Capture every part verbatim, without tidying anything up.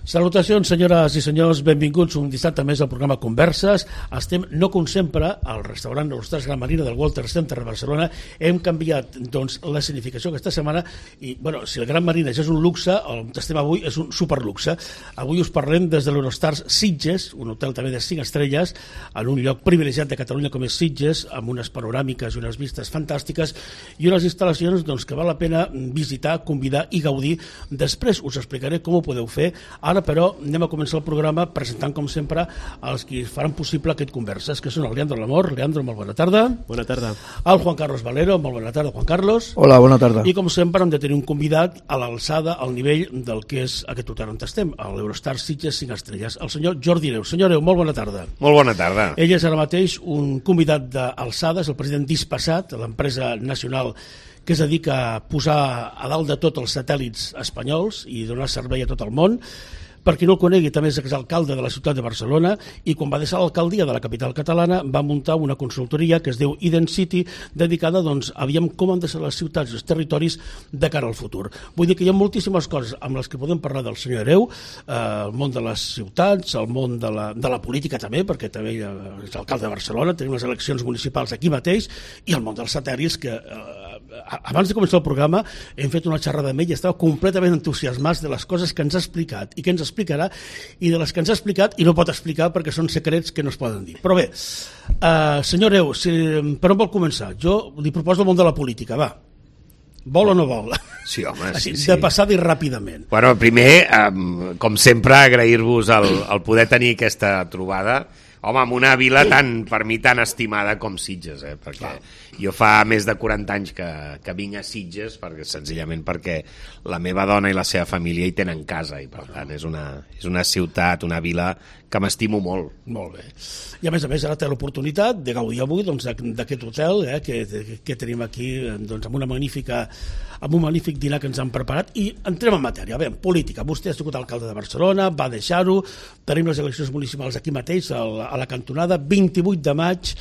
Salutacions, senyores i senyors, benvinguts un dissabte més al programa Converses. Estem, no com sempre, al restaurant L'Hostal Gran Marina del Walter Center de Barcelona. Hem canviat doncs, la significació aquesta setmana i, bueno, si el Gran Marina ja és un luxe, on estem avui és un superluxe. Avui us parlem des de l'Eurostars Sitges, un hotel també de cinc estrelles, en un lloc privilegiat de Catalunya com és Sitges, amb unes panoràmiques i unes vistes fantàstiques i unes instal·lacions doncs, que val la pena visitar, convidar i gaudir. Després us explicaré com ho podeu fer. Ara, però, anem a començar el programa presentant, com sempre, els que faran possible aquest Converses, que són el Leandro Lamor. Leandro, molt bona tarda. Bona tarda. El Juan Carlos Valero, molt bona tarda, Juan Carlos. Hola, bona tarda. I, com sempre, hem de tenir un convidat a l'alçada, al nivell del que és aquest hotel on estem, a l'Eurostars Sitges cinc estrelles, el senyor Jordi Hereu. Senyor Hereu, molt bona tarda. Molt bona tarda. Ell és ara mateix un convidat d'alçada, és el president d'Hispasat, l'empresa nacional que es dedica a posar a dalt de tot els satèl·lits espanyols i donar servei a tot el món. Per qui no el conegui, també és exalcalde de la ciutat de Barcelona i quan va deixar l'alcaldia de la capital catalana va muntar una consultoria que es diu Identity, dedicada doncs, a veure com han de ser les ciutats i els territoris de cara al futur. Vull dir que hi ha moltíssimes coses amb les que podem parlar del senyor Hereu, eh, el món de les ciutats, el món de la, de la política també, perquè també és alcalde de Barcelona, tenim les eleccions municipals aquí mateix, i el món dels satèl·lits, que eh, abans de començar el programa hem fet una xerrada amb ell i estava completament entusiasmat de les coses que ens ha explicat i que ens explicarà i de les que ens ha explicat i no pot explicar perquè són secrets que no es poden dir. Però bé, uh, senyor Hereu, si, per on vol començar? Jo li proposo el món de la política, va. Vol o no vol? Sí, home, sí, Així, sí. De passada i ràpidament. Bueno, primer, um, com sempre, agrair-vos el, el poder tenir aquesta trobada. Home, amb una vila tan, per mi tan estimada com Sitges, eh? Perquè Clar. jo fa més de quaranta anys que, que vinc a Sitges, perquè, senzillament perquè la meva dona i la seva família hi tenen casa, i per tant és una, és una ciutat, una vila que m'estimo molt. Molt bé. I a més a més ara té l'oportunitat de gaudir avui doncs, d'aquest hotel eh, que, que tenim aquí doncs, amb una magnífica amb un magnífic dinar que ens han preparat i entrem en matèria. Bé, política. Vostè ha sigut alcalde de Barcelona, va deixar-ho, tenim les eleccions municipals aquí mateix, a la cantonada, vint-i-vuit de maig.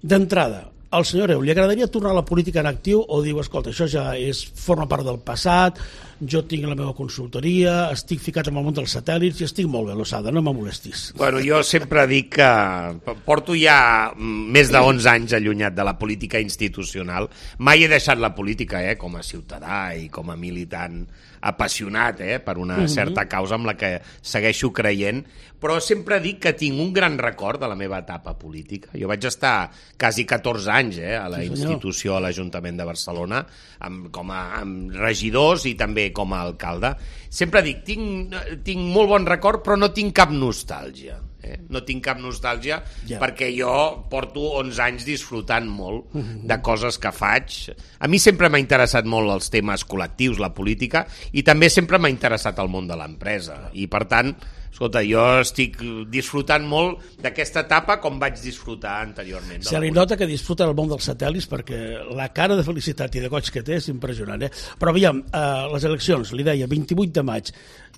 D'entrada, al senyor Hereu, li agradaria tornar a la política en actiu o diu, escolta, això ja és, forma part del passat, jo tinc la meva consultoria, estic ficat en el món dels satèl·lits i estic molt bé, l'Osada, no me molestis. Bueno, jo sempre dic que porto ja més de onze anys allunyat de la política institucional. Mai he deixat la política, eh, com a ciutadà i com a militant apassionat eh, per una uh-huh. certa causa amb la que segueixo creient, però sempre dic que tinc un gran record de la meva etapa política. Jo vaig estar quasi catorze anys eh, a la sí, institució, a l'Ajuntament de Barcelona, amb, com a amb regidors i també com a alcalde. Sempre dic, tinc, tinc molt bon record, però no tinc cap nostàlgia. Eh? No tinc cap nostàlgia yeah. perquè jo porto onze anys disfrutant molt de coses que faig. A mi sempre m'ha interessat molt els temes col·lectius, la política, i també sempre m'ha interessat el món de l'empresa. I per tant, escolta, jo estic disfrutant molt d'aquesta etapa com vaig disfrutar anteriorment. Se li nota que disfruta el món dels satèl·lits perquè la cara de felicitat i de goig que té és impressionant. Eh? Però aviam, eh, les eleccions, li deia, vint-i-vuit de maig,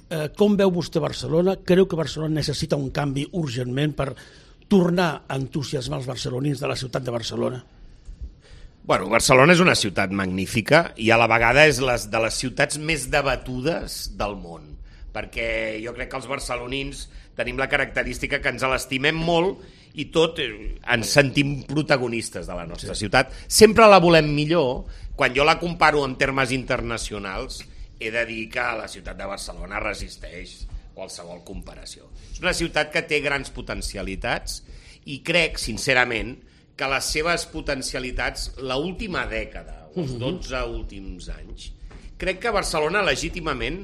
eh, com veu vostè Barcelona? Creu que Barcelona necessita un canvi urgentment per tornar a entusiasmar els barcelonins de la ciutat de Barcelona? Bueno, Barcelona és una ciutat magnífica i a la vegada és les, de les ciutats més debatudes del món, perquè jo crec que els barcelonins tenim la característica que ens l'estimem molt i tot ens sentim protagonistes de la nostra sí. ciutat. Sempre la volem millor. Quan jo la comparo en termes internacionals, he de dir que la ciutat de Barcelona resisteix qualsevol comparació. És una ciutat que té grans potencialitats i crec, sincerament, que les seves potencialitats, l'última dècada, els dotze últims anys, crec que Barcelona legítimament,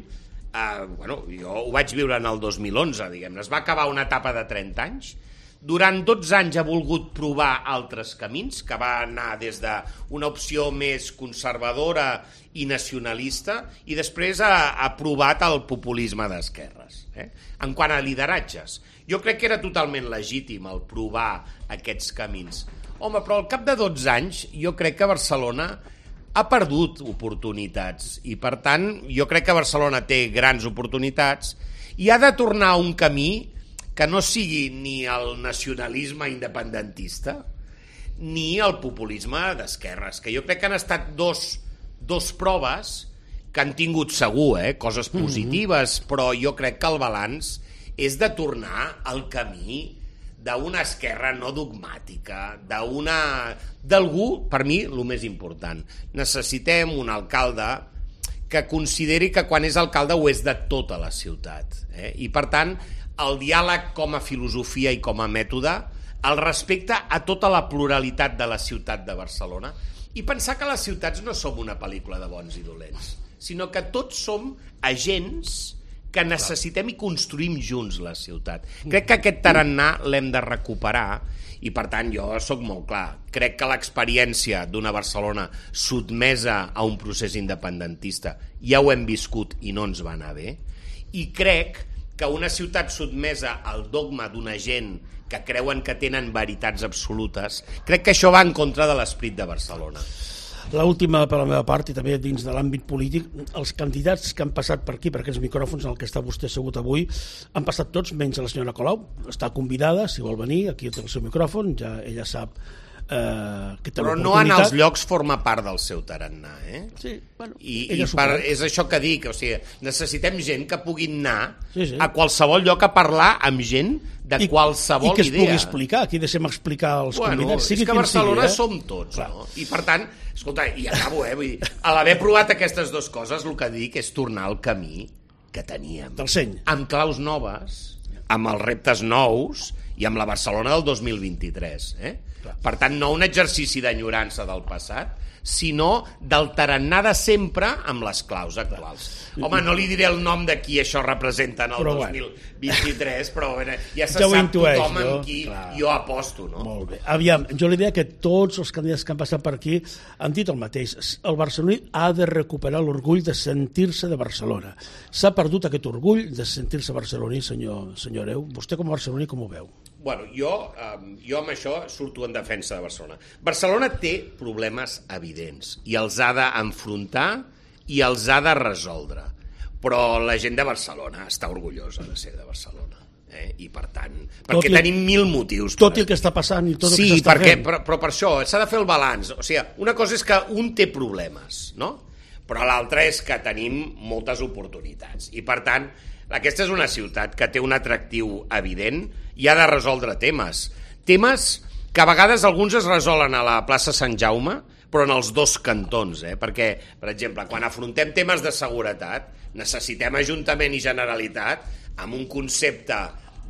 eh, bueno, jo ho vaig viure en el dos mil onze, diguem-ne, es va acabar una etapa de trenta anys, durant dotze anys ha volgut provar altres camins, que va anar des d'una opció més conservadora i nacionalista, i després ha, ha provat el populisme d'esquerres. Eh? En quant a lideratges, jo crec que era totalment legítim el provar aquests camins. Home, però al cap de dotze anys jo crec que Barcelona ha perdut oportunitats i, per tant, jo crec que Barcelona té grans oportunitats i ha de tornar a un camí que no sigui ni el nacionalisme independentista ni el populisme d'esquerres, que jo crec que han estat dos, dos proves que han tingut segur, eh, coses positives, mm-hmm. però jo crec que el balanç és de tornar al camí d'una esquerra no dogmàtica, d'una... d'algú, per mi, el més important. Necessitem un alcalde que consideri que quan és alcalde ho és de tota la ciutat. Eh? I, per tant, el diàleg com a filosofia i com a mètode, el respecte a tota la pluralitat de la ciutat de Barcelona, i pensar que les ciutats no som una pel·lícula de bons i dolents, sinó que tots som agents que necessitem i construïm junts la ciutat. Crec que aquest tarannà l'hem de recuperar i, per tant, jo sóc molt clar. Crec que l'experiència d'una Barcelona sotmesa a un procés independentista ja ho hem viscut i no ens va anar bé. I crec que una ciutat sotmesa al dogma d'una gent que creuen que tenen veritats absolutes, crec que això va en contra de l'esperit de Barcelona. L'última per la meva part, i també dins de l'àmbit polític, els candidats que han passat per aquí, per aquests micròfons en què està vostè assegut avui, han passat tots, menys la senyora Colau. Està convidada, si vol venir, aquí té el seu micròfon, ja ella sap eh, que té però l'oportunitat. No en els llocs forma part del seu tarannà, eh? Sí, bueno, I, i per, és això que dic, o sigui, necessitem gent que puguin anar sí, sí. a qualsevol lloc a parlar amb gent de I, qualsevol idea. I que es idea. Pugui explicar, aquí deixem explicar els bueno, convidats. Sigui és que a Barcelona sigui, eh? som tots, clar. No? I per tant, escolta, i acabo, eh? Vull dir, a l'haver provat aquestes dues coses, el que dic és tornar al camí que teníem. Del seny. Amb claus noves, amb els reptes nous i amb la Barcelona del dos mil vint-i-tres. Eh? Per tant, no un exercici d'enyorança del passat, sinó del tarannà de sempre amb les claus actuals. Home, no li diré el nom de qui això representa en el però, dos mil vint-i-tres, però bueno, ja se ja sap intueix, tothom no? amb qui clar. Jo aposto. No? Molt bé. Aviam, jo li deia que tots els candidats que han passat per aquí han dit el mateix. El barceloní ha de recuperar l'orgull de sentir-se de Barcelona. S'ha perdut aquest orgull de sentir-se barceloní, senyor, senyor Hereu. Vostè com a barceloní com ho veu? Bueno, jo, um, jo amb això surto en defensa de Barcelona. Barcelona té problemes evidents i els ha d'enfrontar i els ha de resoldre. Però la gent de Barcelona està orgullosa de ser de Barcelona. Eh? I per tant, perquè tot tenim mil motius. Tot el que està passant i tot sí, el que s'està perquè, fent. Però, però per això s'ha de fer el balanç. O sigui, una cosa és que un té problemes, no? Però l'altra és que tenim moltes oportunitats. I per tant, aquesta és una ciutat que té un atractiu evident i ha de resoldre temes. Temes que a vegades alguns es resolen a la plaça Sant Jaume, però en els dos cantons, eh? Perquè, per exemple, quan afrontem temes de seguretat, necessitem Ajuntament i Generalitat amb un concepte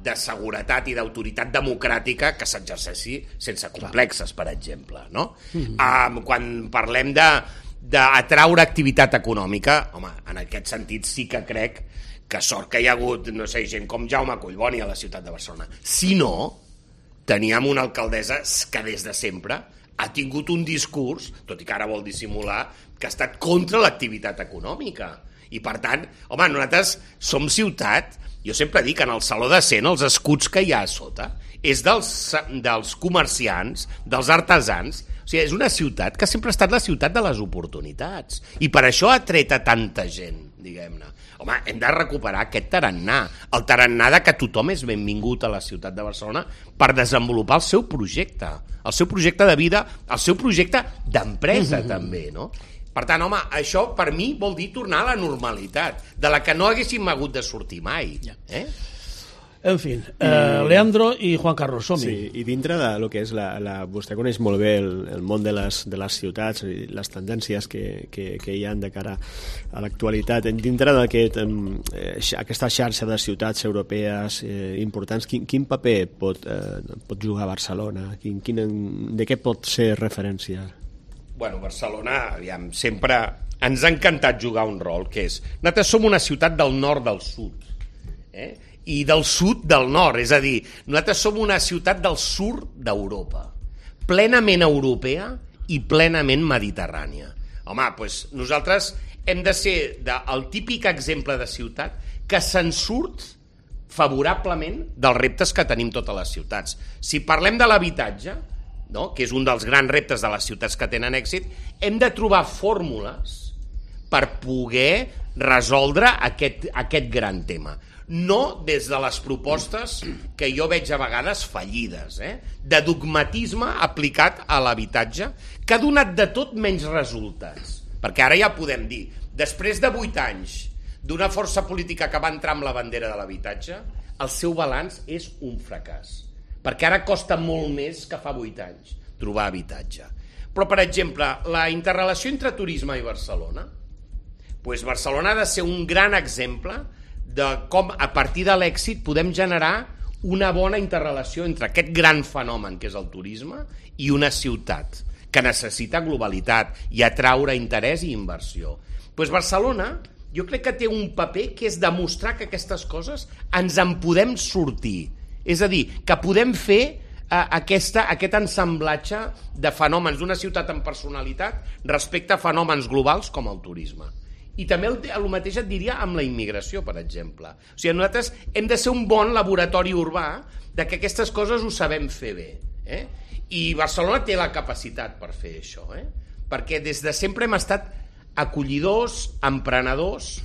de seguretat i d'autoritat democràtica que s'exerceixi sense complexes, per exemple, no? Mm-hmm. Um, quan parlem de d'atraure activitat econòmica, home, en aquest sentit sí que crec que sort que hi ha hagut, no sé, gent com Jaume Collboni a la ciutat de Barcelona. Si no, teníem una alcaldessa que des de sempre ha tingut un discurs, tot i que ara vol dissimular, que ha estat contra l'activitat econòmica. I per tant, home, nosaltres som ciutat, jo sempre dic, en el Saló de Cent, els escuts que hi ha a sota, és dels, dels comerciants, dels artesans. O sigui, és una ciutat que sempre ha estat la ciutat de les oportunitats. I per això ha tret a tanta gent, diguem-ne. Home, hem de recuperar aquest tarannà, el tarannà de que tothom és benvingut a la ciutat de Barcelona per desenvolupar el seu projecte, el seu projecte de vida, el seu projecte d'empresa mm-hmm. també, no? Per tant, home, això per mi vol dir tornar a la normalitat, de la que no haguéssim hagut de sortir mai. Eh? En fi, eh, Leandro i Juan Carlos, som-hi. Sí, i dintre de lo que és la, la... Vostè coneix molt bé el, el món de les, de les ciutats i les tendències que, que, que hi ha de cara a l'actualitat. Dintre d'aquest, eh, aquesta xarxa de ciutats europees eh, importants, quin, quin paper pot, eh, pot jugar Barcelona? Quin, quin, de què pot ser referència? Bueno, Barcelona, aviam, sempre ens ha encantat jugar un rol, que és... Nosaltres som una ciutat del nord del sud, eh? I del sud del nord, és a dir, nosaltres som una ciutat del sud d'Europa, plenament europea i plenament mediterrània. Home, doncs nosaltres hem de ser de, el típic exemple de ciutat que se'n surt favorablement dels reptes que tenim totes les ciutats. Si parlem de l'habitatge, no?, que és un dels grans reptes de les ciutats que tenen èxit, hem de trobar fórmules per poder resoldre aquest, aquest gran tema. No des de les propostes que jo veig a vegades fallides, eh? de dogmatisme aplicat a l'habitatge, que ha donat de tot menys resultats. perquè ara ja podem dir, després de vuit anys d'una força política que va entrar amb la bandera de l'habitatge, el seu balanç és un fracàs, perquè ara costa molt més que fa vuit anys trobar habitatge. Però, per exemple, la interrelació entre turisme i Barcelona, doncs Barcelona ha de ser un gran exemple de com a partir de l'èxit podem generar una bona interrelació entre aquest gran fenomen que és el turisme i una ciutat que necessita globalitat i atraure interès i inversió. Doncs Barcelona jo crec que té un paper que és demostrar que aquestes coses ens en podem sortir. És a dir, que podem fer eh, aquesta, aquest ensamblatge de fenòmens d'una ciutat amb personalitat respecte a fenòmens globals com el turisme. I també el, el mateix et diria amb la immigració, per exemple. O sigui, nosaltres hem de ser un bon laboratori urbà de que aquestes coses ho sabem fer bé. Eh? I Barcelona té la capacitat per fer això, eh? Perquè des de sempre hem estat acollidors, emprenedors,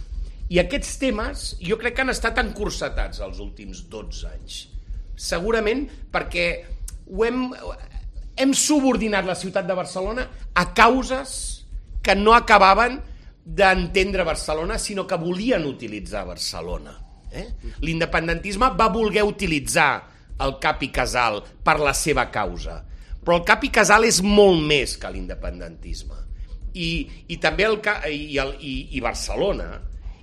i aquests temes jo crec que han estat encursetats els últims dotze anys. Segurament perquè ho hem, hem subordinat la ciutat de Barcelona a causes que no acabaven d'entendre Barcelona, sinó que volien utilitzar Barcelona. Eh? L'independentisme va voler utilitzar el cap i casal per la seva causa, però el cap i casal és molt més que l'independentisme. I, i també el, i, el, i, i Barcelona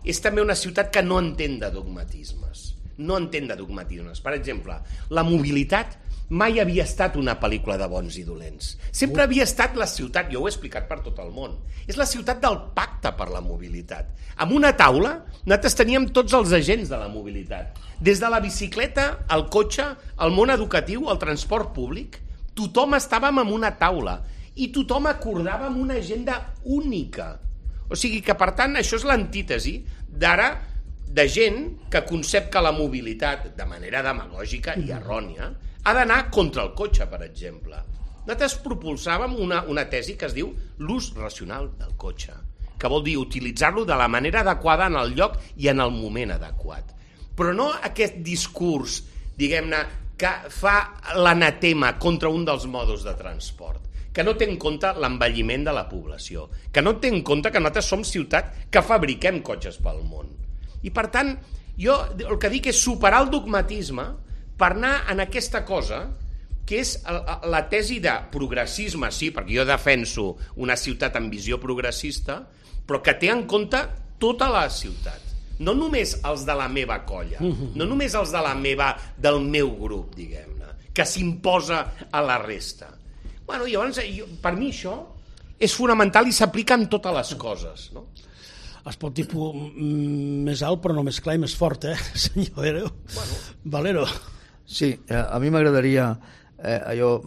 és també una ciutat que no entén de dogmatismes. No entén de dogmatismes. Per exemple, la mobilitat mai havia estat una pel·lícula de bons i dolents. Sempre havia estat la ciutat, jo ho he explicat per tot el món, és la ciutat del pacte per la mobilitat. Amb una taula, nosaltres teníem tots els agents de la mobilitat. Des de la bicicleta, el cotxe, el món educatiu, el transport públic, tothom estàvem en una taula i tothom acordava amb una agenda única. O sigui que, per tant, això és l'antítesi d'ara de gent que concep que la mobilitat, de manera demagògica i errònia, ha d'anar contra el cotxe, per exemple. Nosaltres propulsàvem una, una tesi que es diu l'ús racional del cotxe, que vol dir utilitzar-lo de la manera adequada en el lloc i en el moment adequat. Però no aquest discurs, diguem-ne, que fa l'anatema contra un dels modos de transport, que no té en compte l'envelliment de la població, que no té en compte que nosaltres som ciutat que fabriquem cotxes pel món. I, per tant, jo el que dic és superar el dogmatisme per anar en aquesta cosa que és la tesi de progressisme, sí, perquè jo defenso una ciutat amb visió progressista, però que té en compte tota la ciutat. No només els de la meva colla, no només els de la meva, del meu grup, diguem-ne, que s'imposa a la resta. Bueno, llavors, jo, per mi això és fonamental i s'aplica en totes les coses, no? Es pot dir més alt però no més clar i més fort, eh, senyor Valero? Bueno. Valero. Sí, a mi m'agradaria eh, allò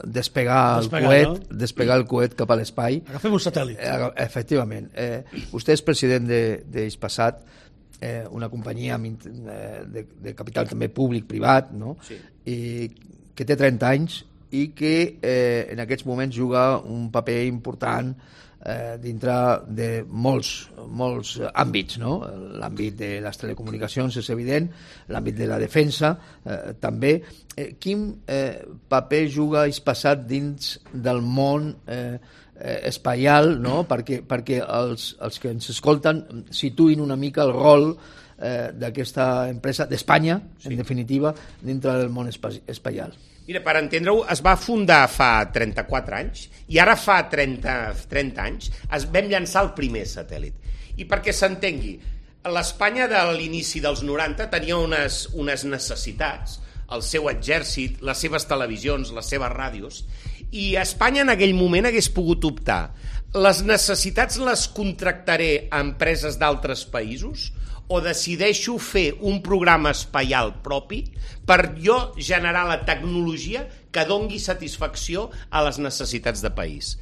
despegar, despegar, el coet, no? despegar el coet cap a l'espai. Agafem un satèl·lit. Eh, efectivament. Eh, vostè és president d'Hispasat, eh, una companyia de, de capital també públic-privat, no? Sí. I que té trenta anys i que eh, en aquests moments juga un paper important eh, dintre de molts, molts àmbits, no? L'àmbit de les telecomunicacions és evident, l'àmbit de la defensa eh, també. Eh, quin eh, paper juga Hispasat dins del món eh, eh, espaial, no? perquè, perquè els, els que ens escolten situïn una mica el rol eh, d'aquesta empresa d'Espanya, sí. En definitiva, dintre del món espaial. Mira, per entendre-ho, es va fundar fa trenta-quatre anys i ara fa trenta, trenta anys es vam llançar el primer satèl·lit. I perquè s'entengui, l'Espanya de l'inici dels noranta tenia unes, unes necessitats, el seu exèrcit, les seves televisions, les seves ràdios, i Espanya en aquell moment hagués pogut optar. Les necessitats les contractaré a empreses d'altres països o decideixo fer un programa espaial propi per jo generar la tecnologia que dongui satisfacció a les necessitats de país.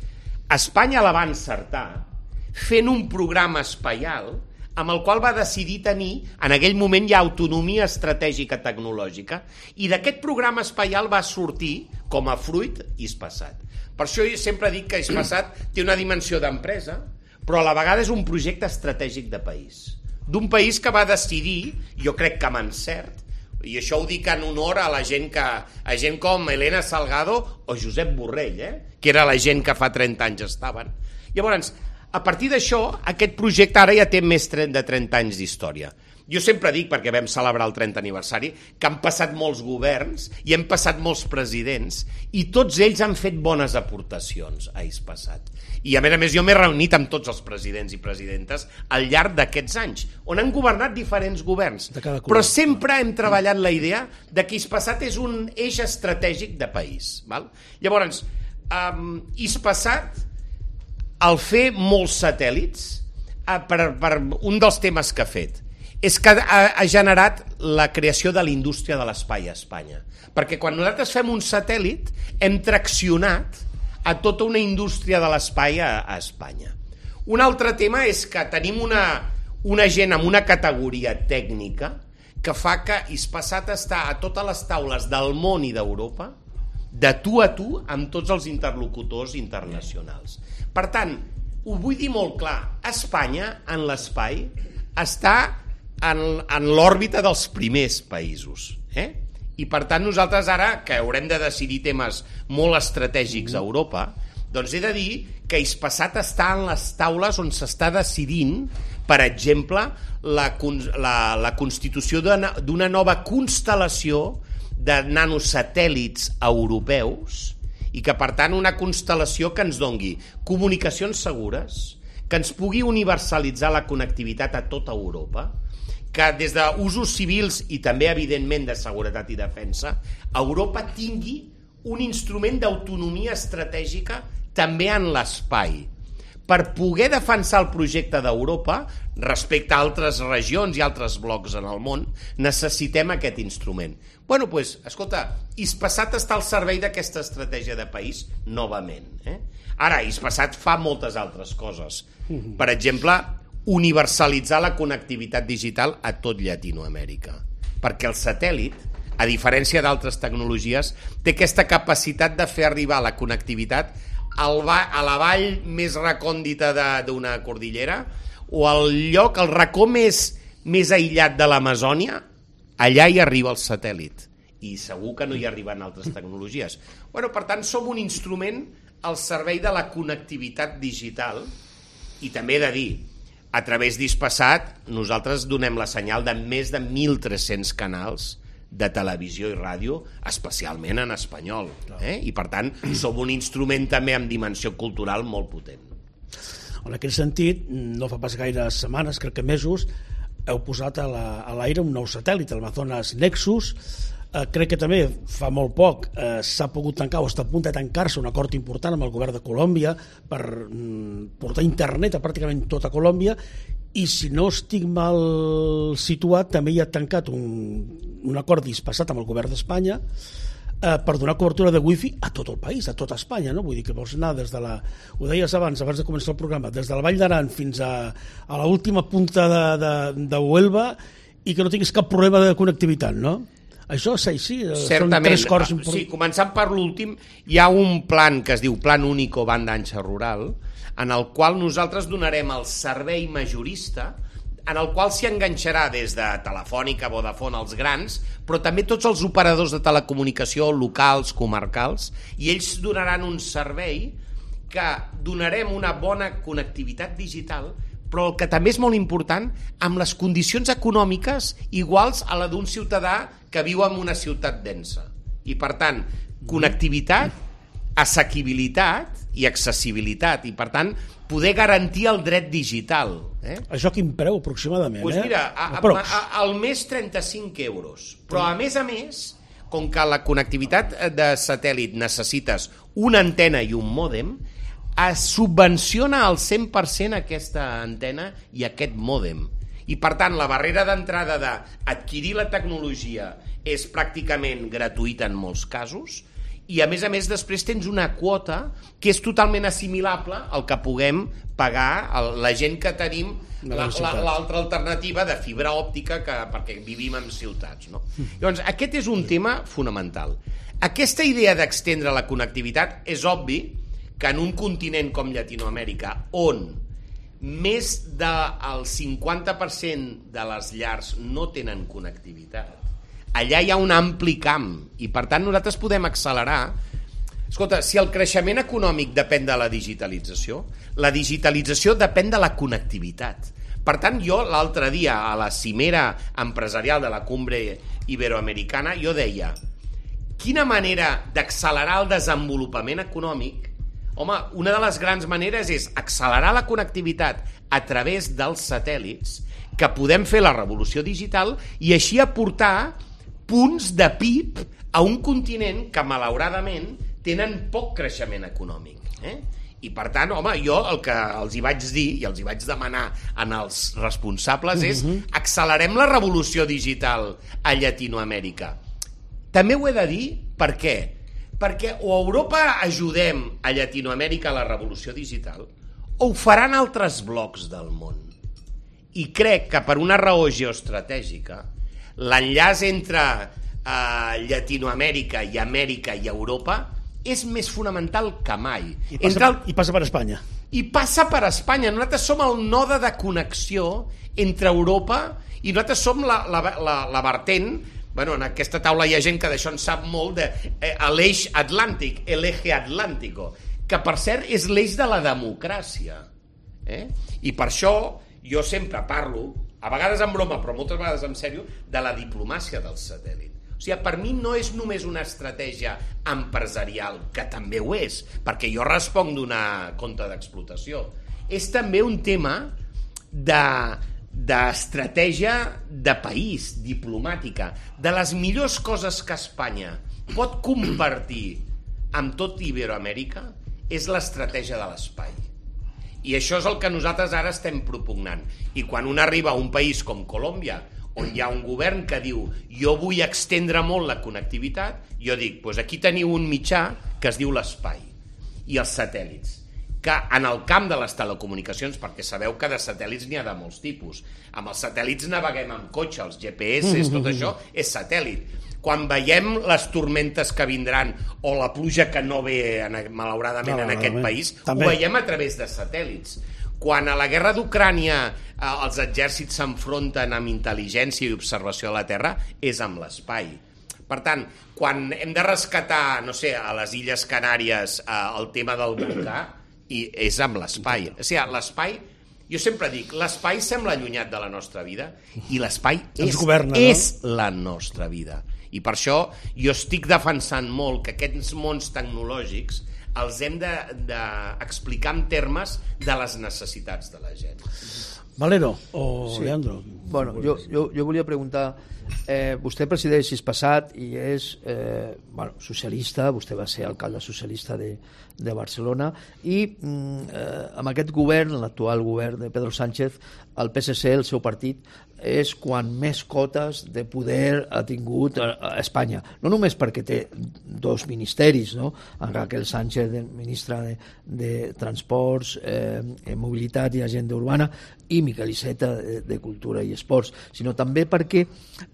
Espanya la va encertar fent un programa espaial amb el qual va decidir tenir, en aquell moment ja, autonomia estratègica tecnològica, i d'aquest programa espaial va sortir, com a fruit, Hispasat. Per això jo sempre dic que Hispasat té una dimensió d'empresa, però a la vegada és un projecte estratègic de país. D'un país que va decidir, jo crec que amb encert, i això ho dic en honor a la gent que, a gent com Elena Salgado o Josep Borrell, eh? Que era la gent que fa trenta anys estaven. Llavors, a partir d'això, aquest projecte ara ja té més de trenta anys d'història. Jo sempre dic, perquè vam celebrar el trentè aniversari, que han passat molts governs i han passat molts presidents i tots ells han fet bones aportacions a Hispasat. I a més a més jo m'he reunit amb tots els presidents i presidentes al llarg d'aquests anys, on han governat diferents governs. Però sempre hem treballat la idea de que Hispasat és un eix estratègic de país. Val? Llavors, um, Hispasat, al fer molts satèl·lits, uh, per, per un dels temes que ha fet, és que ha, ha generat la creació de la indústria de l'espai a Espanya. Perquè quan nosaltres fem un satèl·lit hem traccionat a tota una indústria de l'espai a, a Espanya. Un altre tema és que tenim una, una gent amb una categoria tècnica que fa que Hispasat està a totes les taules del món i d'Europa de tu a tu amb tots els interlocutors internacionals. Per tant, ho vull dir molt clar, Espanya en l'espai està en, en l'òrbita dels primers països. Eh? I per tant nosaltres ara, que haurem de decidir temes molt estratègics a Europa, doncs he de dir que Hispasat està en les taules on s'està decidint, per exemple, la, la, la constitució d'una nova constel·lació de nanosatèl·lits europeus i que per tant una constel·lació que ens dongui comunicacions segures, que ens pugui universalitzar la connectivitat a tota Europa, que des d'usos civils i també evidentment de seguretat i defensa, Europa tingui un instrument d'autonomia estratègica també en l'espai. Per poder defensar el projecte d'Europa respecte a altres regions i altres blocs en el món, necessitem aquest instrument. Bueno, doncs, escolta, Hispasat està al servei d'aquesta estratègia de país novament. Eh? Ara, Hispasat fa moltes altres coses. Per exemple, universalitzar la connectivitat digital a tot Llatinoamèrica. Perquè el satèl·lit, a diferència d'altres tecnologies, té aquesta capacitat de fer arribar la connectivitat al va, a la vall més recòndita d'una cordillera o al lloc, al racó més, més aïllat de l'Amazònia, allà hi arriba el satèl·lit. I segur que no hi arriben altres tecnologies. Bueno, per tant, som un instrument al servei de la connectivitat digital i també he de dir, a través d'Hispasat nosaltres donem la senyal de més de mil tres-cents canals de televisió i ràdio, especialment en espanyol. Eh? I per tant, som un instrument també amb dimensió cultural molt potent. En aquest sentit, no fa pas gaires setmanes, crec que mesos, heu posat a l'aire un nou satèl·lit, el Amazonas Nexus. Eh, crec que també fa molt poc eh, s'ha pogut tancar o està a punt de tancar-se un acord important amb el govern de Colòmbia per mm, portar internet a pràcticament tota Colòmbia, i si no estic mal situat també hi ha tancat un, un acord d'Hispasat amb el govern d'Espanya eh, per donar cobertura de wifi a tot el país, a tota Espanya, no? Vull dir que vols anar des de la, ho deies abans, abans de començar el programa, des de la Vall d'Aran fins a, a l'última punta de, de, de Huelva i que no tinguis cap problema de connectivitat, no? Això sí, sí, són tres cors importants. Sí, començant per l'últim, hi ha un plan que es diu Plan Único Banda Ancha Rural, en el qual nosaltres donarem el servei majorista, en el qual s'hi enganxarà des de Telefònica, Vodafone, els grans, però també tots els operadors de telecomunicació locals, comarcals, i ells donaran un servei que donarem una bona connectivitat digital, però el que també és molt important, amb les condicions econòmiques iguals a la d'un ciutadà que viu en una ciutat densa. I per tant, connectivitat, assequibilitat i accessibilitat, i per tant, poder garantir el dret digital. Eh? Això quin preu aproximadament? Pues mira, a, a, a, al mes trenta-cinc euros, però a més a més, com que la connectivitat de satèl·lit necessites una antena i un mòdem, es subvenciona al cent per cent aquesta antena i aquest mòdem. I per tant, la barrera d'entrada d'adquirir la tecnologia és pràcticament gratuïta en molts casos, i a més a més després tens una quota que és totalment assimilable al que puguem pagar la gent que tenim l'altra la, la, alternativa de fibra òptica que, perquè vivim en ciutats, no? Llavors, aquest és un tema fonamental. Aquesta idea d'extendre la connectivitat és obvi que en un continent com Llatinoamèrica, on més del cinquanta per cent de les llars no tenen connectivitat, allà hi ha un ampli camp, i per tant nosaltres podem accelerar Escolta, si el creixement econòmic depèn de la digitalització, la digitalització depèn de la connectivitat. Per tant, jo l'altre dia a la cimera empresarial de la Cumbre Iberoamericana jo deia, quina manera d'accelerar el desenvolupament econòmic? Home, una de les grans maneres és accelerar la connectivitat a través dels satèl·lits, que podem fer la revolució digital i així aportar punts de P I B a un continent que, malauradament, tenen poc creixement econòmic. Eh? I, per tant, home, jo el que els hi vaig dir i els hi vaig demanar en els responsables és accelerem la revolució digital a Llatinoamèrica. També ho he de dir, per què? Perquè o a Europa ajudem a Llatinoamèrica a la revolució digital o ho faran altres blocs del món. I crec que per una raó geoestratègica l'enllaç entre eh, Llatinoamèrica i Amèrica i Europa és més fonamental que mai. I passa, entre el... I passa per Espanya. I passa per Espanya. Nosaltres som el node de connexió entre Europa i nosaltres som la, la, la, la vertent. Bueno, en aquesta taula hi ha gent que d'això en sap molt, de eh, l'eix atlàntic, l'eje atlàntico, que per cert és l'eix de la democràcia. Eh? I per això jo sempre parlo, a vegades en broma, però moltes vegades en sèrio, de la diplomàcia del satèl·lit. O sigui, per mi no és només una estratègia empresarial, que també ho és, perquè jo responc d'una compte d'explotació. És també un tema de... d'estratègia de país, diplomàtica, de les millors coses que Espanya pot compartir amb tot Iberoamèrica és l'estratègia de l'espai. I això és el que nosaltres ara estem propugnant. I quan un arriba a un país com Colòmbia, on hi ha un govern que diu jo vull extendre molt la connectivitat, jo dic, doncs aquí teniu un mitjà que es diu l'espai i els satèl·lits, que en el camp de les telecomunicacions, perquè sabeu que de satèl·lits n'hi ha de molts tipus. Amb els satèl·lits naveguem amb cotxe, els G P S, tot això és satèl·lit. Quan veiem les tormentes que vindran o la pluja que no ve, malauradament, en aquest país, ho veiem a través de satèl·lits. Quan a la guerra d'Ucrània els exèrcits s'enfronten amb intel·ligència i observació de la Terra, és amb l'espai. Per tant, quan hem de rescatar, no sé, a les Illes Canàries el tema del volcà, i és amb l'espai. O sigui, l'espai, jo sempre dic, l'espai sembla allunyat de la nostra vida i l'espai és, governa, no? és la nostra vida. I per això jo estic defensant molt que aquests mons tecnològics els hem d'explicar de, de en termes de les necessitats de la gent. Valero o sí. Leandro? Bueno, jo, jo, jo volia preguntar, eh, vostè presideix sis passat i és eh, bueno, socialista, vostè va ser alcalde socialista de, de Barcelona i eh, amb aquest govern, l'actual govern de Pedro Sánchez, el P S C, el seu partit, és quan més cotes de poder ha tingut a, a Espanya. No només perquè té dos ministeris, no? En Raquel Sánchez, ministra de, de Transports, eh, Mobilitat i Agenda Urbana, i Miquel Iceta de, de Cultura i Esports, sinó també perquè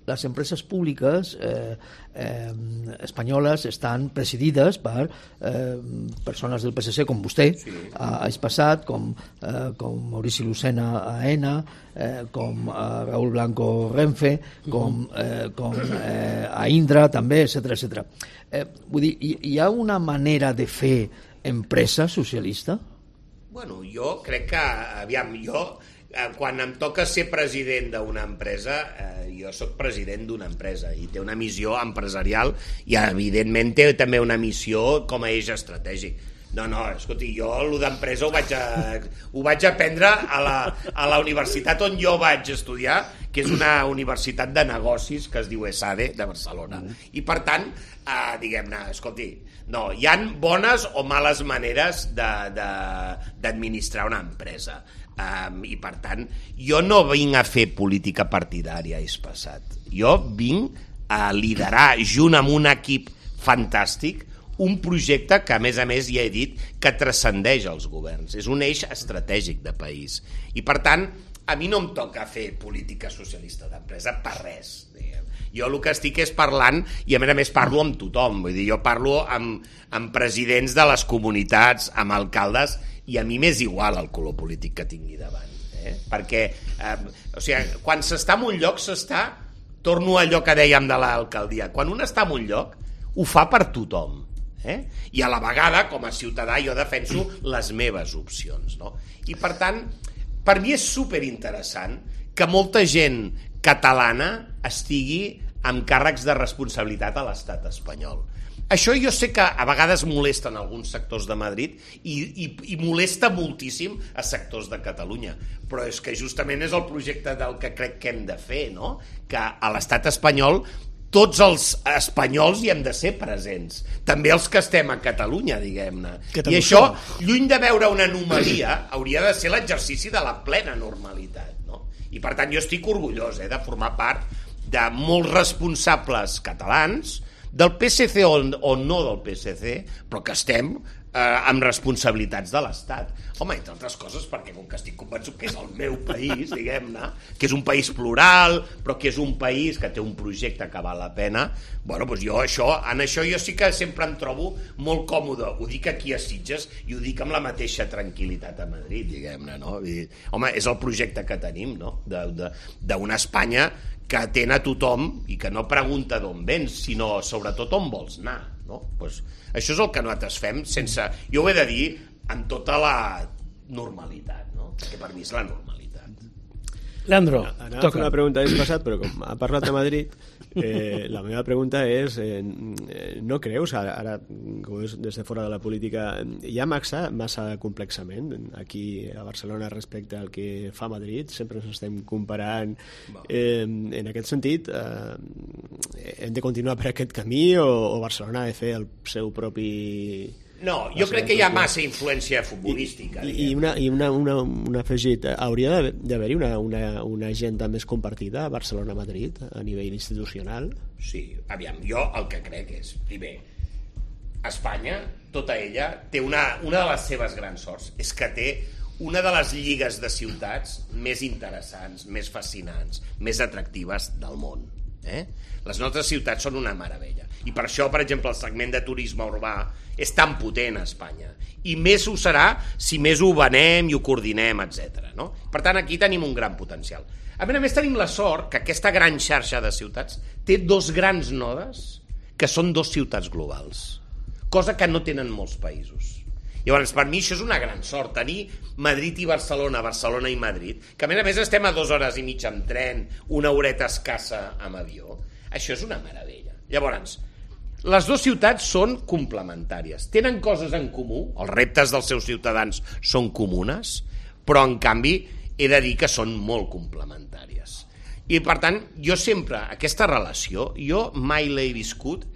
les empreses públiques eh, eh, espanyoles estan presidides per eh, persones del P S C com vostè, sí. a, a Espassat, com, eh, com Maurici Lucena a ENA, eh, com a Raúl Blanco Renfe, com, eh, com eh, a Indra també, etcètera, etcètera. Eh, vull dir, hi, hi ha una manera de fer empresa socialista? Bueno, jo crec que, aviam, jo quan em toca ser president d'una empresa, eh, jo sóc president d'una empresa i té una missió empresarial i evidentment té també una missió com a eix estratègic. No, no, escolti, jo el d'empresa ho vaig a, ho vaig aprendre a la, a la universitat on jo vaig estudiar, que és una universitat de negocis que es diu ESADE de Barcelona. I per tant, eh, diguem-ne, escolti, no, hi han bones o males maneres d'administrar una empresa. Um, i per tant, jo no vinc a fer política partidària, és passat. Jo vinc a liderar junt amb un equip fantàstic un projecte que, a més a més, ja he dit, que transcendeix els governs. És un eix estratègic de país. I, per tant, a mi no em toca fer política socialista d'empresa per res. Jo el que estic és parlant, i a més a més parlo amb tothom. Vull dir, jo parlo amb, amb presidents de les comunitats, amb alcaldes, i a mi m'és igual el color polític que tingui davant. Eh? Perquè, eh, o sigui, quan s'està en un lloc, s'està, torno a allò que dèiem de l'alcaldia, quan un està en un lloc, ho fa per tothom. Eh? I a la vegada, com a ciutadà, jo defenso les meves opcions. No? I per tant, per mi és superinteressant que molta gent catalana estigui amb càrrecs de responsabilitat a l'estat espanyol. Això jo sé que a vegades molesta en alguns sectors de Madrid i, i, i molesta moltíssim a sectors de Catalunya, però és que justament és el projecte del que crec que hem de fer, no? Que a l'estat espanyol tots els espanyols hi hem de ser presents, també els que estem a Catalunya, diguem-ne. I això, lluny de veure una anomalia, hauria de ser l'exercici de la plena normalitat, no? I per tant jo estic orgullós eh, de formar part de molts responsables catalans, del P S C o, o no del P S C, però que estem eh, amb responsabilitats de l'Estat. Home, entre altres coses, perquè com que estic convençut que és el meu país, diguem-ne, que és un país plural, però que és un país que té un projecte que val la pena, bueno, doncs jo això, en això jo sí que sempre em trobo molt còmode. Ho dic aquí a Sitges i ho dic amb la mateixa tranquil·litat a Madrid, diguem-ne, no? I, home, és el projecte que tenim, no? D'una Espanya que atén a tothom i que no pregunta d'on vens, sinó sobretot on vols anar. No? Pues això és el que nosaltres fem sense... Jo ho he de dir amb tota la normalitat, no? Perquè per mi és la normalitat. Leandro, Anava toca. a fer una pregunta d'any passat, però com ha parlat de Madrid, eh, la meva pregunta és, eh, no creus, ara, ara com és des de fora de la política, hi ha massa, massa complexament aquí a Barcelona respecte al que fa Madrid? Sempre ens estem comparant. Eh, en aquest sentit, eh, hem de continuar per aquest camí o, o Barcelona ha de fer el seu propi... No, jo crec que hi ha massa influència futbolística. I, i, una, i una, una, un afegit, hauria d'haver-hi una, una, una agenda més compartida a Barcelona-Madrid a nivell institucional? Sí, aviam, jo el que crec és, primer, Espanya, tota ella, té una, una de les seves grans sorts, és que té una de les lligues de ciutats més interessants, més fascinants, més atractives del món. Eh? Les nostres ciutats són una meravella i per això, per exemple, el segment de turisme urbà és tan potent a Espanya i més ho serà si més ho venem i ho coordinem, etcètera. No? Per tant, aquí tenim un gran potencial. A més a més, tenim la sort que aquesta gran xarxa de ciutats té dos grans nodes que són dos ciutats globals, cosa que no tenen molts països. Llavors, per mi això és una gran sort, tenir Madrid i Barcelona, Barcelona i Madrid, que a més a més estem a dues hores i mitja amb tren, una horeta escassa amb avió. Això és una meravella. Llavors, les dues ciutats són complementàries, tenen coses en comú, els reptes dels seus ciutadans són comunes, però en canvi he de dir que són molt complementàries. I per tant, jo sempre, aquesta relació, jo mai l'he viscut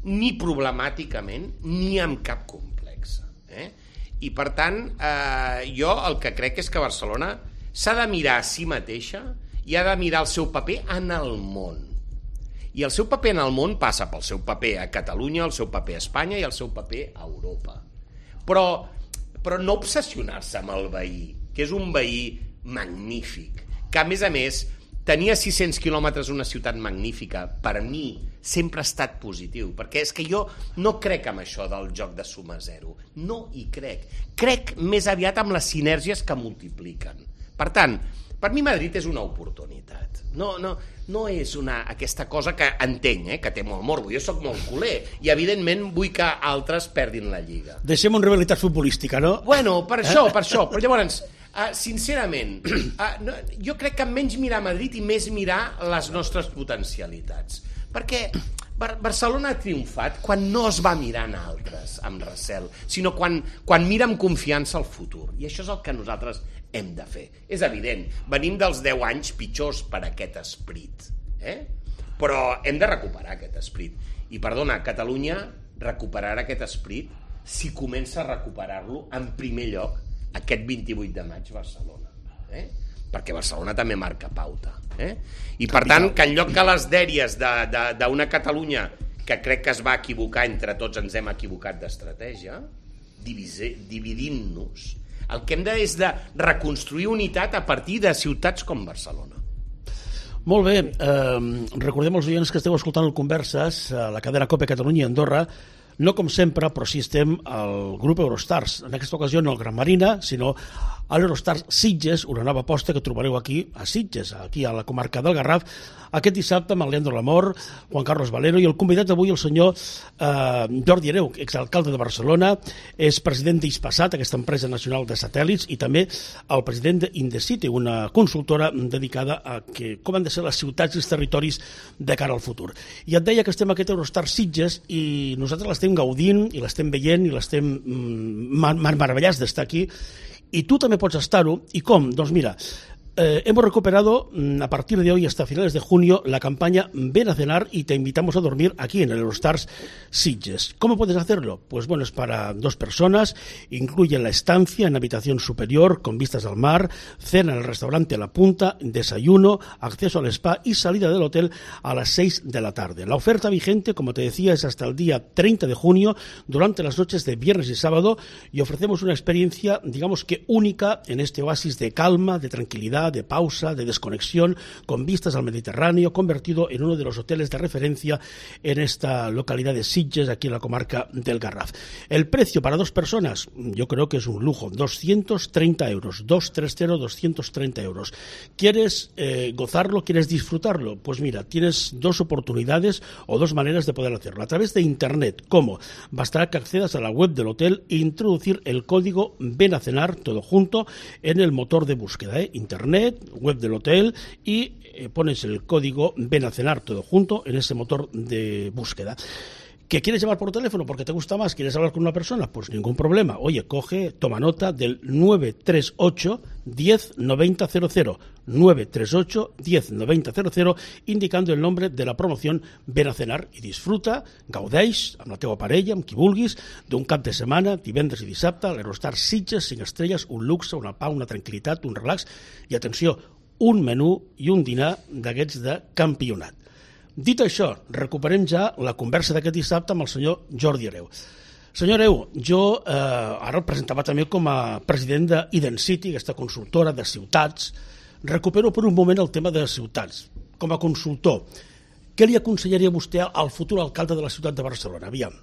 ni problemàticament ni amb cap complex. Eh? I per tant, eh, jo el que crec és que Barcelona s'ha de mirar a si mateixa i ha de mirar el seu paper en el món. I el seu paper en el món passa pel seu paper a Catalunya, el seu paper a Espanya i el seu paper a Europa. Però, però no obsessionar-se amb el veí, que és un veí magnífic, que a més a més tenia sis-cents quilòmetres una ciutat magnífica, per mi sempre ha estat positiu, perquè és que jo no crec en això del joc de suma zero, no hi crec. Crec més aviat amb les sinergies que multipliquen. Per tant, per mi Madrid és una oportunitat. No, no, no és una, aquesta cosa que entenc, eh, que té molt morbo. Jo sóc molt culer i, evidentment, vull que altres perdin la lliga. Deixem una rivalitat futbolística, no? Bueno, per això, per això. Però llavors, uh, sincerament, uh, no, jo crec que menys mirar Madrid i més mirar les nostres potencialitats. Perquè Bar- Barcelona ha triomfat quan no es va mirar en altres amb recel, sinó quan, quan mira amb confiança al futur. I això és el que nosaltres hem de fer. És evident, venim dels deu anys pitjors per aquest esperit, eh? Però hem de recuperar aquest esperit. I, perdona, Catalunya recuperarà aquest esperit si comença a recuperar-lo en primer lloc aquest vint-i-vuit de maig Barcelona. Eh? Perquè Barcelona també marca pauta. Eh? I per tant, que en lloc que les dèries d'una Catalunya que crec que es va equivocar, entre tots ens hem equivocat d'estratègia, dividint-nos, el que hem de és de reconstruir unitat a partir de ciutats com Barcelona. Molt bé, eh, recordem als oients que esteu escoltant el Converses a la cadena COPE Catalunya i Andorra, no com sempre, però sí estem al grup Eurostars, en aquesta ocasió no al Gran Marina, sinó a l'Eurostars Sitges, una nova aposta que trobareu aquí a Sitges, aquí a la comarca del Garraf, aquest dissabte amb el Leandro Lamor, Juan Carlos Valero, i el convidat avui el senyor eh, Jordi Hereu, exalcalde de Barcelona, és president d'Hispasat, aquesta empresa nacional de satèl·lits, i també el president d'Indecity, una consultora dedicada a que, com han de ser les ciutats i els territoris de cara al futur. I et deia que estem a aquest Eurostar Sitges i nosaltres l'estem gaudint i l'estem veient i l'estem mm, meravellats d'estar aquí, y tú también puedes estar-ho. ¿Y cómo? Doncs mira, eh, hemos recuperado a partir de hoy hasta finales de junio la campaña Ven a cenar y te invitamos a dormir aquí en el Eurostars Sitges. ¿Cómo puedes hacerlo? Pues bueno, es para dos personas, incluye la estancia en habitación superior con vistas al mar, cena en el restaurante La Punta, desayuno, acceso al spa y salida del hotel a las seis de la tarde. La oferta vigente, como te decía, es hasta el día treinta de junio durante las noches de viernes y sábado, y ofrecemos una experiencia, digamos que única en este oasis de calma, de tranquilidad, de pausa, de desconexión, con vistas al Mediterráneo, convertido en uno de los hoteles de referencia en esta localidad de Sitges, aquí en la comarca del Garraf. El precio para dos personas, yo creo que es un lujo, doscientos treinta euros, doscientos treinta, doscientos treinta euros. ¿Quieres eh, gozarlo? ¿Quieres disfrutarlo? Pues mira, tienes dos oportunidades o dos maneras de poder hacerlo. A través de Internet. ¿Cómo? Bastará que accedas a la web del hotel e introducir el código Ven a cenar, todo junto, en el motor de búsqueda, ¿eh? Internet, web del hotel, y eh, pones el código Ven a cenar, todo junto, en ese motor de búsqueda. ¿Que quieres llamar por teléfono porque te gusta más? ¿Quieres hablar con una persona? Pues ningún problema. Oye, coge, toma nota del nueve tres ocho, diez, noventa, cero cero. nueve tres ocho, diez, noventa, cero cero, indicando el nombre de la promoción Ven a cenar i disfruta, gaudeix amb la teva parella, amb qui vulguis, d'un cap de setmana, divendres i dissabte, a l'Eurostar Sitges, cinc estrelles, un luxe, una pau, una tranquil·litat, un relax i, atenció, un menú i un dinar d'aquests de campionat. Dit això, recuperem ja la conversa d'aquest dissabte amb el senyor Jordi Hereu. Senyor Hereu, jo eh, ara el presentava també com a president d'Identity, aquesta consultora de ciutats. Recupero per un moment el tema de ciutats. Com a consultor, què li aconsellaria vostè al futur alcalde de la ciutat de Barcelona? Aviam.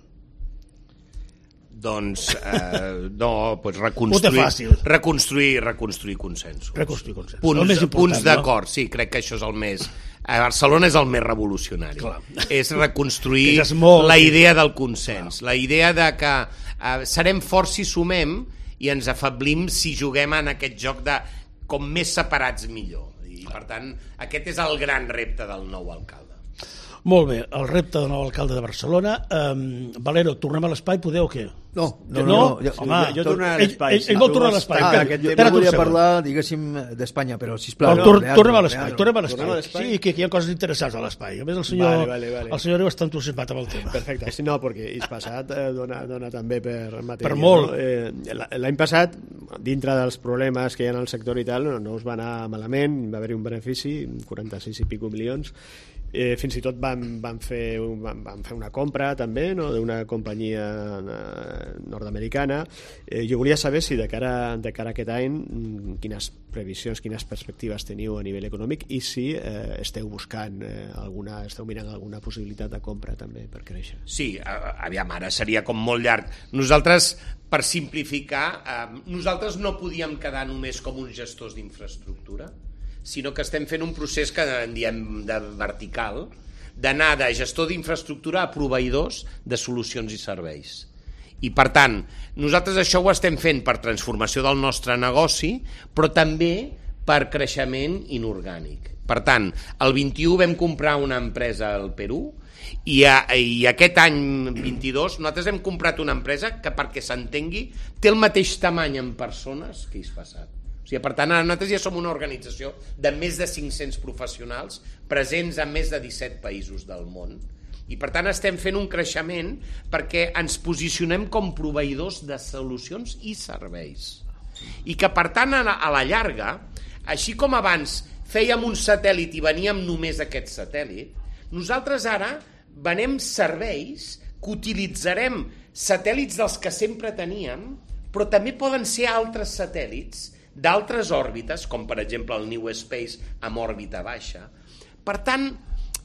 Doncs, eh, no, pues reconstruir, reconstruir, reconstruir consensos. Reconstruir consensos. Punts, punts d'acord, no? Sí, crec que això és el més... A Barcelona és el més revolucionari. Clar. És reconstruir és molt... la idea del consens, Clar. La idea de que eh, serem forts si sumem i ens afablim si juguem en aquest joc de com més separats millor. I, per tant, aquest és el gran repte del nou alcalde. Molt bé, el repte del nou alcalde de Barcelona. Um, Valero, tornem a l'espai, podeu o què? No, no, no. no? jo, Home, jo, jo tornaré a l'espai. Ell, ell, ell vol tornar a l'espai. Ah, jo, jo volia parlar, diguéssim, d'Espanya, però sisplau. No, tor tornem a l'espai, tornem a l'espai. Sí, que, que hi ha coses interessants a l'espai. A més, el senyor, vale, vale, vale. el senyor Hereu està entusiasmat amb el tema. Perfecte, sí, no, perquè Hispasat eh, dona, dona també per matèria. Per molt. No? Eh, L'any passat, dintre dels problemes que hi ha en el sector i tal, no, no us va anar malament, va haver-hi un benefici, quaranta-sis i pico milions. Eh, fins i tot van, van, fer, van, van fer una compra també, no?, d'una companyia nord-americana. Eh, jo volia saber si de cara, de cara a aquest any quines previsions, quines perspectives teniu a nivell econòmic i si eh, esteu buscant eh, alguna, esteu mirant alguna possibilitat de compra també per créixer. Sí, aviam, ara seria com molt llarg. Nosaltres, per simplificar, eh, nosaltres no podíem quedar només com uns gestors d'infraestructura, sinó que estem fent un procés que en diem de vertical, d'anar de gestor d'infraestructura a proveïdors de solucions i serveis. I, per tant, nosaltres això ho estem fent per transformació del nostre negoci, però també per creixement inorgànic. Per tant, el vint-i-u vam comprar una empresa al Perú i, a, i aquest any vint-i-dos nosaltres hem comprat una empresa que, perquè s'entengui, té el mateix tamany en persones que Hispasat. O sigui, per tant, nosaltres ja som una organització de més de cinc-cents professionals presents en més de disset països del món. I, per tant, estem fent un creixement perquè ens posicionem com proveïdors de solucions i serveis. I que, per tant, a la llarga, així com abans fèiem un satèl·lit i veníem només aquest satèl·lit, nosaltres ara venem serveis que utilitzarem satèl·lits dels que sempre teníem, però també poden ser altres satèl·lits d'altres òrbites, com per exemple el New Space amb òrbita baixa. Per tant,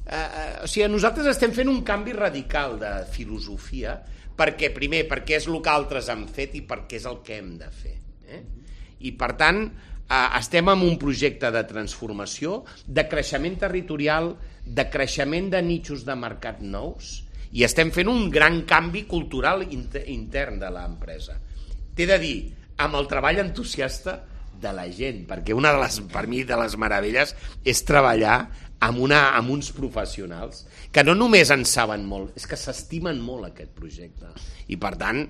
eh, o sigui, nosaltres estem fent un canvi radical de filosofia, perquè primer, perquè és el que altres han fet i perquè és el que hem de fer. Eh? I per tant, estem en un projecte de transformació, de creixement territorial, de creixement de nichos de mercat nous, i estem fent un gran canvi cultural intern de l'empresa. T'he de dir, amb el treball entusiasta de la gent, perquè una de les, per mi, de les meravelles és treballar amb, una, amb uns professionals que no només en saben molt, és que s'estimen molt aquest projecte. I per tant,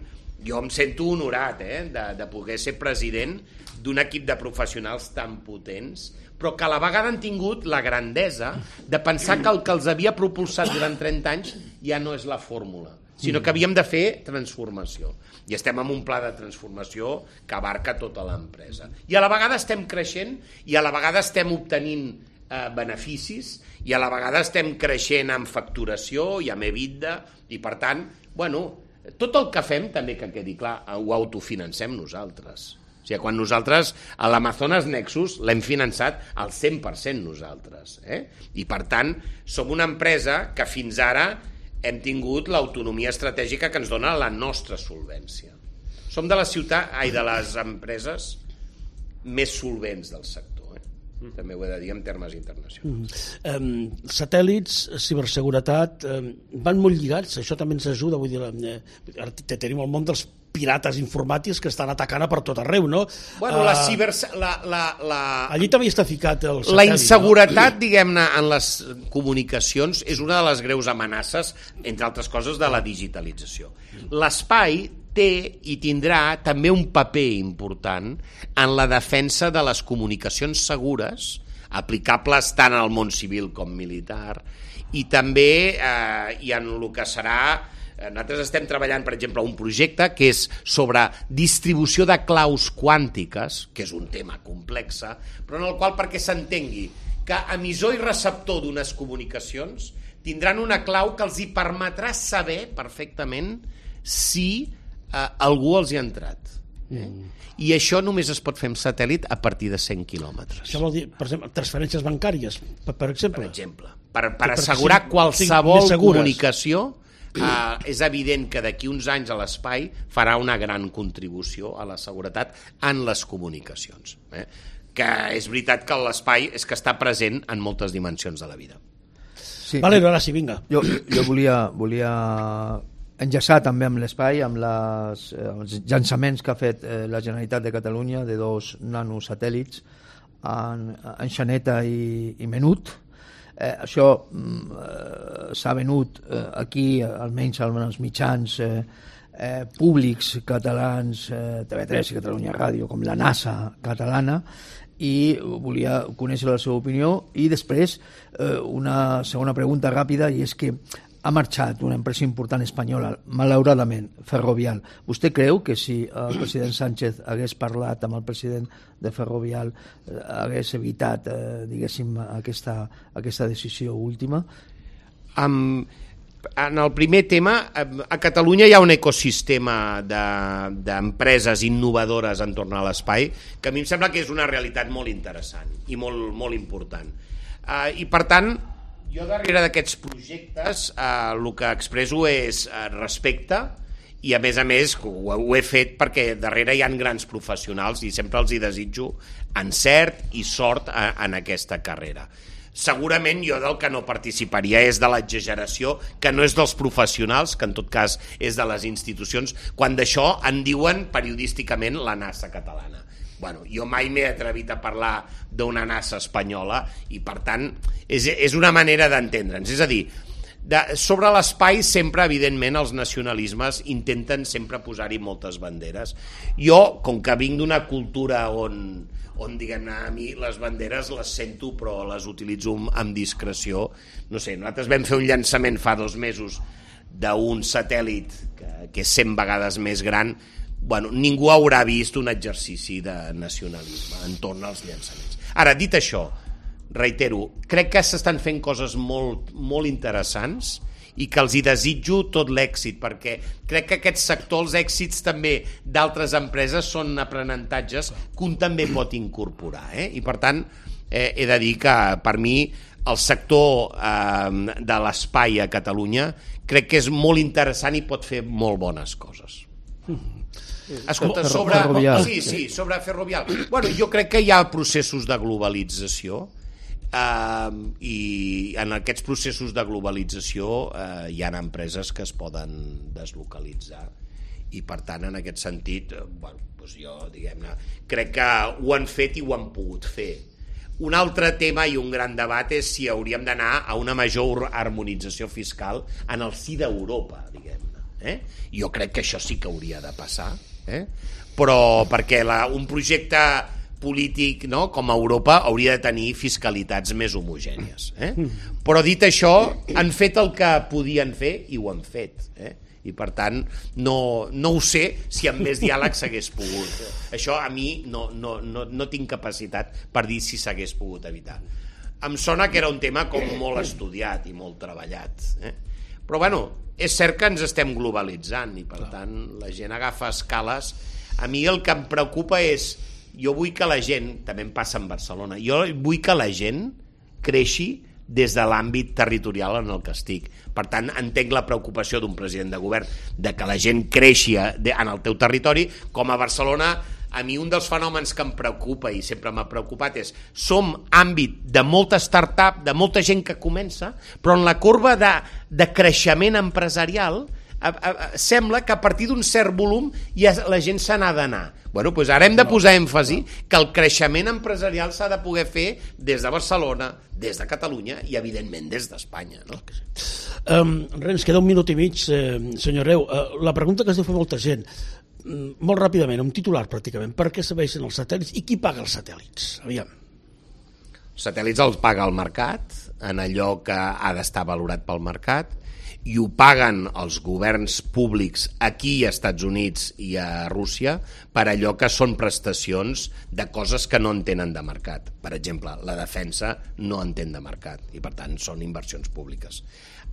jo em sento honorat eh, de, de poder ser president d'un equip de professionals tan potents, però que a la vegada han tingut la grandesa de pensar que el que els havia propulsat durant trenta anys ja no és la fórmula, sinó que havíem de fer transformació. I estem en un pla de transformació que abarca tota l'empresa. I a la vegada estem creixent i a la vegada estem obtenint eh, beneficis i a la vegada estem creixent en facturació i amb EBITDA i, per tant, bueno, tot el que fem, també que quedi clar, ho autofinancem nosaltres. O sigui, quan nosaltres a l'Amazones Nexus l'hem finançat al cent per cent nosaltres. Eh? I, per tant, som una empresa que fins ara hem tingut l'autonomia estratègica que ens dona la nostra solvència. Som de la ciutat, ai, de les empreses més solvents del sector. També ho he de dir en termes internacionals. Mm. Um, satèl·lits, ciberseguretat, um, van molt lligats, això també ens ajuda, vull dir, eh, tenim el món dels pirates informàtics que estan atacant a per tot arreu, no? Bueno, uh, la ciber... La, la, la... Allí també està ficat el satèl·lit. La inseguretat, no? Diguem-ne, en les comunicacions és una de les greus amenaces, entre altres coses, de la digitalització. L'espai té i tindrà també un paper important en la defensa de les comunicacions segures, aplicables tant al món civil com militar, i també eh, i en el que serà... Nosaltres estem treballant, per exemple, un projecte que és sobre distribució de claus quàntiques, que és un tema complex, però en el qual, perquè s'entengui que emissor i receptor d'unes comunicacions tindran una clau que els hi permetrà saber perfectament si eh, algú els hi ha entrat. Eh? Mm. I això només es pot fer amb satèl·lit a partir de cent quilòmetres. Això vol dir, per exemple, transferències bancàries, per, per exemple? Per exemple. Per, per assegurar qualsevol comunicació, Uh, és evident que d'aquí uns anys a l'espai farà una gran contribució a la seguretat en les comunicacions. Eh? Que és veritat que l'espai és que està present en moltes dimensions de la vida. Sí. Vale, ara sí, vinga. Jo, jo volia, volia enllaçar també amb l'espai, amb les, eh, els llançaments que ha fet eh, la Generalitat de Catalunya de dos nanosatèl·lits en, en Xaneta i, i Menut. Eh, això eh, s'ha venut eh, aquí, almenys als mitjans eh, eh, públics catalans, eh, T V tres i Catalunya Ràdio, com la NASA catalana, i volia conèixer la seva opinió. I després eh, una segona pregunta ràpida, i és que ha marxat una empresa important espanyola, malauradament, Ferrovial. Vostè creu que si el president Sánchez hagués parlat amb el president de Ferrovial eh, hagués evitat, eh, diguéssim, aquesta, aquesta decisió última? Um, en el primer tema, a Catalunya hi ha un ecosistema d'empreses de, innovadores entorn a l'espai que a mi em sembla que és una realitat molt interessant i molt, molt important. Uh, I, per tant, jo darrere d'aquests projectes eh, el que expresso és eh, respecte i a més a més ho, ho he fet perquè darrere hi ha grans professionals i sempre els hi desitjo encert i sort a, en aquesta carrera. Segurament jo del que no participaria és de l'exageració, que no és dels professionals, que en tot cas és de les institucions, quan d'això en diuen periodísticament la NASA catalana. Bueno, jo mai m'he atrevit a parlar d'una NASA espanyola i, per tant, és, és una manera d'entendre'ns. És a dir, de, sobre l'espai sempre, evidentment, els nacionalismes intenten sempre posar-hi moltes banderes. Jo, com que vinc d'una cultura on, on diguem-ne, a mi les banderes les sento però les utilitzo amb discreció, no sé, nosaltres vam fer un llançament fa dos mesos d'un satèl·lit que, que és cent vegades més gran. Bueno, ningú haurà vist un exercici de nacionalisme entorn als llançaments. Ara, dit això, reitero, crec que s'estan fent coses molt, molt interessants i que els hi desitjo tot l'èxit, perquè crec que aquest sector, els èxits també d'altres empreses són aprenentatges que un també pot incorporar. Eh? I per tant, eh, he de dir que per mi el sector eh, de l'espai a Catalunya crec que és molt interessant i pot fer molt bones coses. Escolta, sobre... Sí, sí, sobre Ferrovial. Bueno, jo crec que hi ha processos de globalització eh, i en aquests processos de globalització eh, hi ha empreses que es poden deslocalitzar i per tant en aquest sentit eh, bueno, doncs jo diguem-ne crec que ho han fet i ho han pogut fer. Un altre tema i un gran debat és si hauríem d'anar a una major harmonització fiscal en el si d'Europa, diguem-ne. Eh? Jo crec que això sí que hauria de passar, eh? Però perquè la, un projecte polític, no, com a Europa hauria de tenir fiscalitats més homogènies, eh? Però dit això han fet el que podien fer i ho han fet, eh? I per tant no, no ho sé si amb més diàleg s'hagués pogut. Això a mi no, no, no, no tinc capacitat per dir si s'hagués pogut evitar. Em sona que era un tema com molt estudiat i molt treballat, eh? Però bueno, és cert que ens estem globalitzant i per tant la gent agafa escales. A mi el que em preocupa és, jo vull que la gent, també em passa en Barcelona, jo vull que la gent creixi des de l'àmbit territorial en el que estic. Per tant, entenc la preocupació d'un president de govern de que la gent creixi en el teu territori. Com a Barcelona, a mi un dels fenòmens que em preocupa i sempre m'ha preocupat és som àmbit de molta start-up, de molta gent que comença, però en la corba de, de creixement empresarial a, a, a, sembla que a partir d'un cert volum ja la gent se n'ha d'anar. Bueno, doncs ara hem de posar èmfasi que el creixement empresarial s'ha de poder fer des de Barcelona, des de Catalunya i evidentment des d'Espanya, no? Um, res, queda un minut i mig, eh, senyor Reu. Uh, la pregunta que es deu fer molta gent, um, molt ràpidament, un titular pràcticament, per què serveixen els satèl·lits i qui paga els satèl·lits? Aviam. Els satèl·lits els paga el mercat, en allò que ha d'estar valorat pel mercat, i ho paguen els governs públics aquí a Estats Units i a Rússia per allò que són prestacions de coses que no entenen de mercat. Per exemple, la defensa no entén de mercat i per tant són inversions públiques.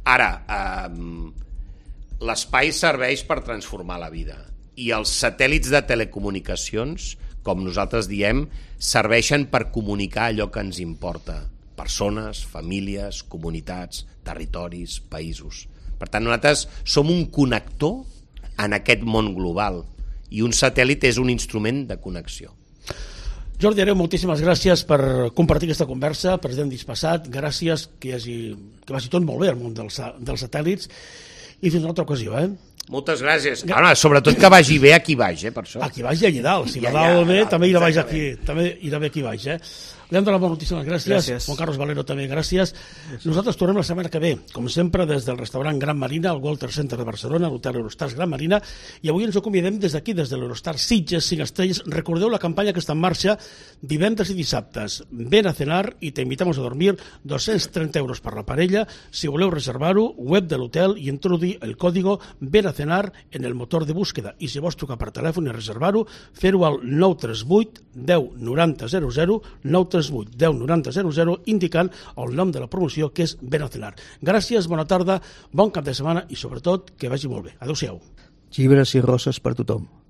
Ara, eh, l'espai serveix per transformar la vida i els satèl·lits de telecomunicacions, com nosaltres diem, serveixen per comunicar allò que ens importa. Persones, famílies, comunitats, territoris, països. Per tant, nosaltres som un connector en aquest món global i un satèl·lit és un instrument de connexió. Jordi Hereu, moltíssimes gràcies per compartir aquesta conversa, president dispassat, gràcies, que, hi hagi, que vagi tot molt bé el món dels, dels satèl·lits i fins una altra ocasió, eh? Moltes gràcies. Ara, sobretot que vagi bé a qui vaig, eh, per això. A qui vaig i allà dalt. Si va dalt bé, també irà baix aquí, també irà bé qui vaig, eh? Li hem donat moltíssimes gràcies. gràcies. Juan Carlos Valero també, gràcies. gràcies. Nosaltres tornem la setmana que ve, com sempre, des del restaurant Gran Marina, al Walter Center de Barcelona, l'hotel Eurostars Gran Marina, i avui ens ho convidem des d'aquí, des de l'Eurostar Sitges, cinc estrelles. Recordeu la campanya que està en marxa divendres i dissabtes. Ven a cenar i te invitamos a dormir, dos-cents trenta euros per la parella. Si voleu reservar-ho, web de l'hotel i introduir el código Ven a cenar en el motor de búsqueda. I si vols trucar per telèfon i reservar-ho, fer-ho al nou tres vuit deu noranta zero zero, nou tres vuit deu noranta zero zero, indicant el nom de la promoció, que és Ven a cenar. Gràcies, bona tarda, bon cap de setmana i sobretot que vagi molt bé. Adéu-siau. Llibres i roses per tothom.